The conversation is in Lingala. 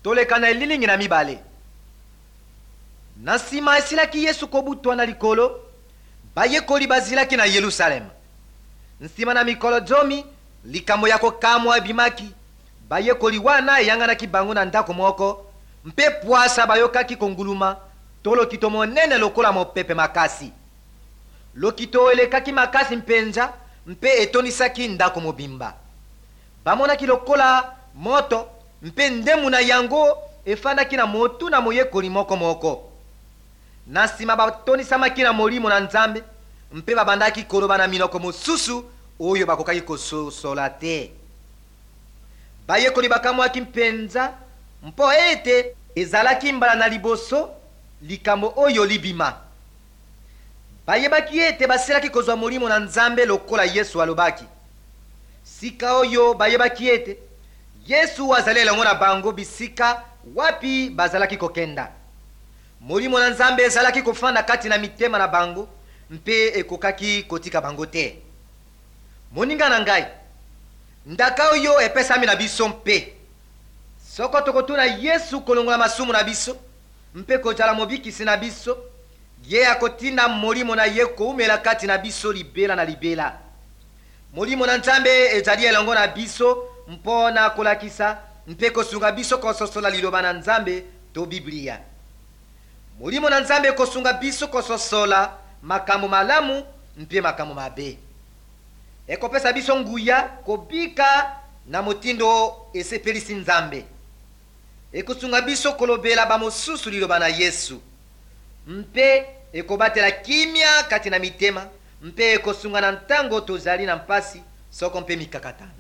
Toleka na elilingi na mibale. Na nsima esilaki Yesu kobutwa na likolo, bayekoli bazilaki na Yelusaleme. Nsima na mikolo zomi, likambo ya kokamwa ebimaki. Bayekoli wana eyanganaki bango na ndako moko, mpe pwasa bayokaki konguluma to lokito monene lokola mopepe makasi. Lokito elekaki makasi mpenza mpe etondisaki ndako mobimba. Bamonaki lokola moto mpe ndembu na yango efandaki na motu na moyekoli moko moko. Na nsima batondisamaki na Molimo na Nzambe mpe babandaki koloba na minoko mosusu oyo bakokaki kososola te. Bayekoli bakamwaki mpenza mpo ete ezalaki mbala na liboso likambo oyo libima. Bayebaki ete basilaki kozwa Molimo na Nzambe lokola Yesu alobaki. Sika oyo bayebaki ete Yesu azali elongo na bango bisika wapi bazalaki kokenda. Molimo na Nzambe ezalaki kofanda kati na mitema na bango mpe ekokaki kotika bango te. Moninga na ngai, ndaka oyo epesami na biso mpe soko tokotuna Yesu kolongola masumu na biso mpe kozala mobikisi na biso, ye akotinda Molimo na ye koumela kati na biso libela na libela. Molimo na Nzambe ezali elongo na biso mpo na kolakisa mpe kosunga biso kososola Liloba na Nzambe to Biblia. Molimo na Nzambe ekosunga biso kososola makambo malamu mpe makambo mabe. Ekopesa biso nguya kobika na motindo esepelisi Nzambe. Ekosunga biso kolobela bamosusu liloba na Yesu mpe ekobatela kimia kati na mitema mpe ekosunga na ntango tozali na mpasi soko mpe mikakatano.